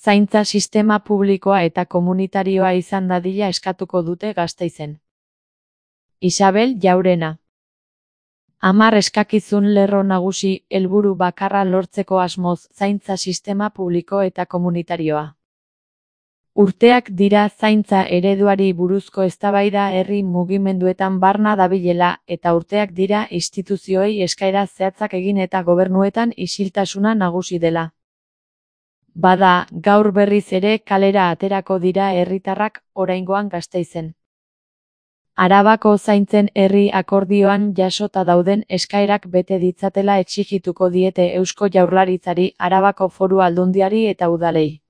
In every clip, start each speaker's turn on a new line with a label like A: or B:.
A: Zaintza sistema publikoa eta komunitarioa izan dadila eskatuko dute Gasteizen. Isabel Jaurena. 10 eskakizun lerro nagusi helburu bakarra lortzeko asmoz zaintza sistema publiko eta komunitarioa. Urteak dira zaintza ereduari buruzko eztabaida herri mugimenduetan barna dabilela eta urteak dira instituzioei eskaera zehatzak egin eta gobernuetan isiltasuna nagusi dela. Bada, gaur berriz ere kalera aterako dira herritarrak oraingoan Gasteizen. Arabako zaintzen herri akordioan jasota dauden eskaerak bete ditzatela exigituko diete Eusko Jaurlaritzari, Arabako Foru Aldundiari eta udalei.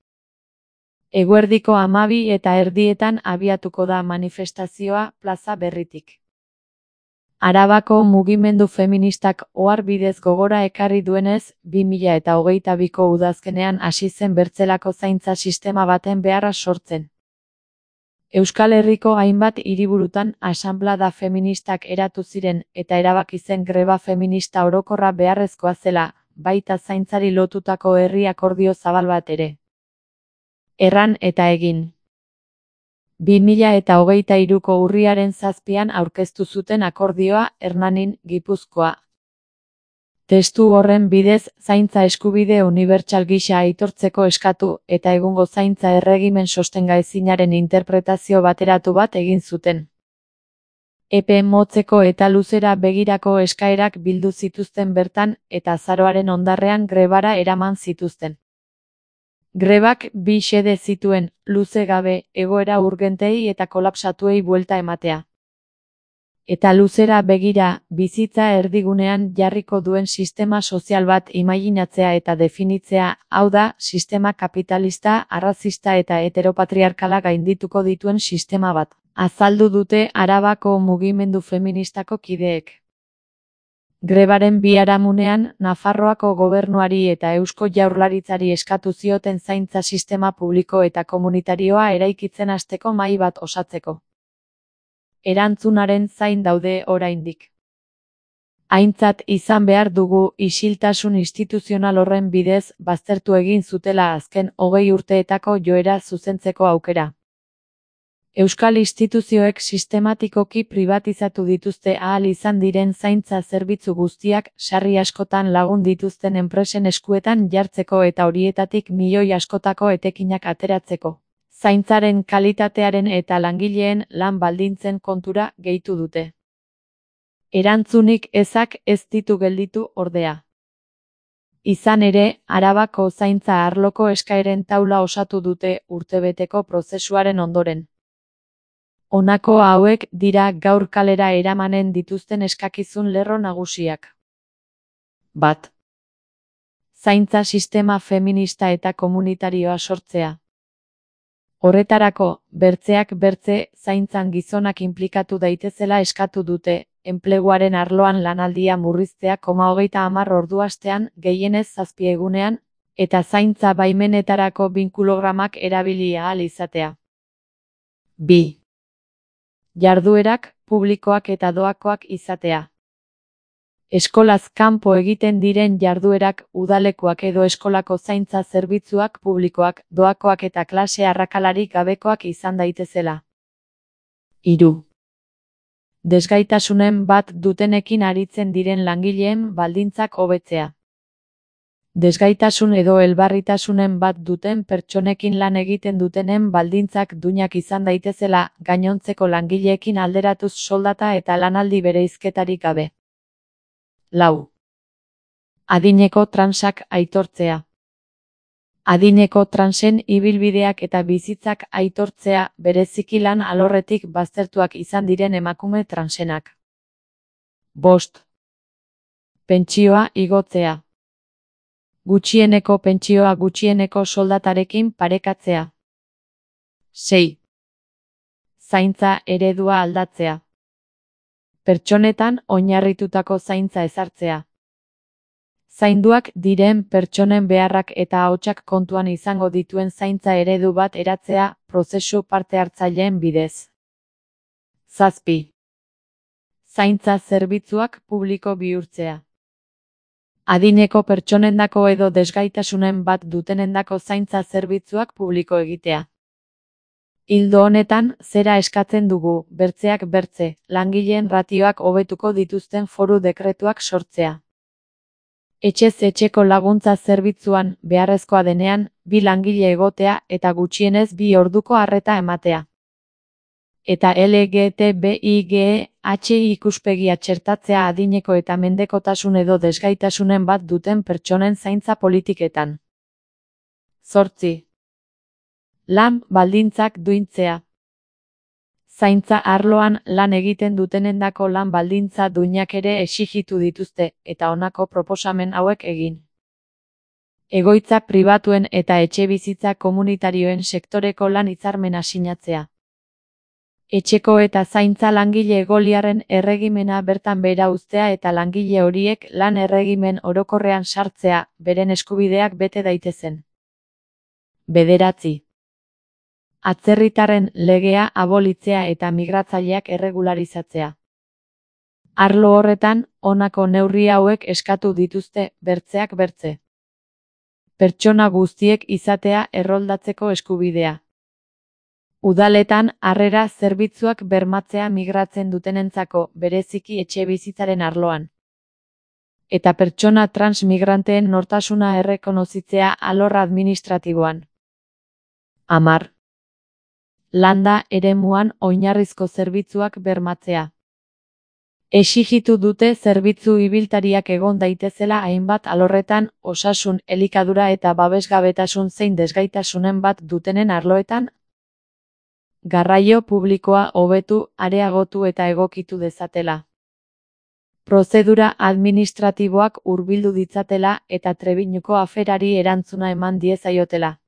A: Eguerdiko 12:30 abiatuko da manifestazioa plaza berritik. Arabako mugimendu feministak ohar bidez gogora ekarri duenez, 2022ko udazkenean hasi zen bertzelako zaintza sistema baten beharra sortzen. Euskal Herriko hainbat hiriburutan asanblada feministak eratu ziren eta erabaki zen greba feminista orokorra beharrezkoa zela, baita zaintzari lotutako herri akordio zabal bat ere. Erran eta egin. 2023ko urriaren 7an aurkeztu zuten akordioa Hernanin, Gipuzkoa. Testu horren bidez, zaintza eskubide unibertsal gisa aitortzeko eskatu eta egungo zaintza erregimen sostengaezinaren interpretazio bateratu bat egin zuten. Epe motzeko eta luzera begirako eskaerak bildu zituzten bertan eta azaroaren ondarrean grebara eraman zituzten. Grebak 2 xede zituen, luze gabe, egoera urgentei eta kolapsatuei buelta ematea. Eta luzera begira, bizitza erdigunean jarriko duen sistema sozial bat imaginatzea eta definitzea, hau da, sistema kapitalista, arrazista eta heteropatriarkala gaindituko dituen sistema bat, azaldu dute Arabako mugimendu feministako kideek. Grebaren biharamunean, Nafarroako gobernuari eta Eusko Jaurlaritzari eskatu zioten zaintza sistema publiko eta komunitarioa eraikitzen hasteko mahai bat osatzeko. Erantzunaren zain daude oraindik. Aintzat izan behar dugu isiltasun instituzional horren bidez baztertu egin zutela azken 20 urteetako joera zuzentzeko aukera. Euskal instituzioek sistematikoki pribatizatu dituzte ahal izan diren zaintza zerbitzu guztiak sarri askotan lagun dituzten enpresen eskuetan jartzeko eta horietatik milioi askotako etekinak ateratzeko. Zaintzaren kalitatearen eta langileen lan baldintzen kontura gehitu dute. Erantzunik ezak ez ditu gelditu ordea. Izan ere, Arabako zaintza arloko eskaeren taula osatu dute urtebeteko prozesuaren ondoren. Honako hauek dira gaur kalera eramanen dituzten eskakizun lerro nagusiak. 1. Zaintza sistema feminista eta komunitarioa sortzea. Horretarako, bertzeak bertze, zaintzan gizonak inplikatu daitezela eskatu dute, enpleguaren arloan lanaldia murriztea 30 ordu astean, gehienez 7 egunean, eta zaintza baimenetarako binkulogramak erabili ahal izatea. 2. Jarduerak, publikoak eta doakoak izatea. Eskolaz kanpo egiten diren jarduerak, udalekuak edo eskolako zaintza zerbitzuak publikoak, doakoak eta klase arrakalarik gabekoak izan daitezela. 3. Desgaitasunen bat dutenekin aritzen diren langileen baldintzak hobetzea. Desgaitasun edo elbarritasunen bat duten pertsonekin lan egiten dutenen baldintzak duinak izan daitezela, gainontzeko langileekin alderatuz soldata eta lanaldi bereizketarik gabe. 4. Adineko transak aitortzea. Adineko transen ibilbideak eta bizitzak aitortzea, bereziki lan alorretik baztertuak izan diren emakume transenak. 5. Pentsioa igotzea. Gutxieneko pentsioa gutxieneko soldatarekin parekatzea. 6. Zaintza eredua aldatzea. Pertsonetan oinarritutako zaintza ezartzea. Zainduak diren pertsonen beharrak eta ahotsak kontuan izango dituen zaintza eredu bat eratzea, prozesu parte hartzaileen bidez. 7. Zaintza zerbitzuak publiko bihurtzea. Adineko pertsonendako edo desgaitasunen bat dutenendako zaintza zerbitzuak publiko egitea. Ildo honetan, zera eskatzen dugu, bertzeak bertze, langileen ratioak hobetuko dituzten foru dekretuak sortzea. Etxez etxeko laguntza zerbitzuan, beharrezkoa denean, 2 langile egotea eta gutxienez 2 orduko arreta ematea. Eta LGTBIGH ikuspegia txertatzea adineko eta mendekotasun edo desgaitasunen bat duten pertsonen zaintza politiketan. 8. Lan baldintzak duintzea. Zaintza arloan lan egiten dutenendako lan baldintza duinak ere exijitu dituzte, eta honako proposamen hauek egin. Egoitza pribatuen eta etxebizitza komunitarioen sektoreko lan hitzarmena sinatzea. Etxeko eta zaintza langile egoliarren erregimena bertan behera uztea eta langile horiek lan erregimen orokorrean sartzea, beren eskubideak bete daitezen. 9. Atzerritarren legea abolitzea eta migratzaileak erregularizatzea. Arlo horretan, honako neurri hauek eskatu dituzte, bertzeak bertze. Pertsona guztiek izatea erroldatzeko eskubidea. Udaletan harrera zerbitzuak bermatzea migratzen dutenentzako, bereziki etxebizitzaren arloan. Eta pertsona transmigranteen nortasuna errekonozitzea alor administratiboan. 10. Landa eremuan oinarrizko zerbitzuak bermatzea. Exijitu dute zerbitzu ibiltariak egon daitezela hainbat alorretan, osasun, elikadura eta babesgabetasun zein desgaitasunen bat dutenen arloetan, garraio publikoa hobetu, areagotu eta egokitu dezatela. Prozedura administratiboak hurbildu ditzatela eta Trebiñuko aferari erantzuna eman diezaiotela.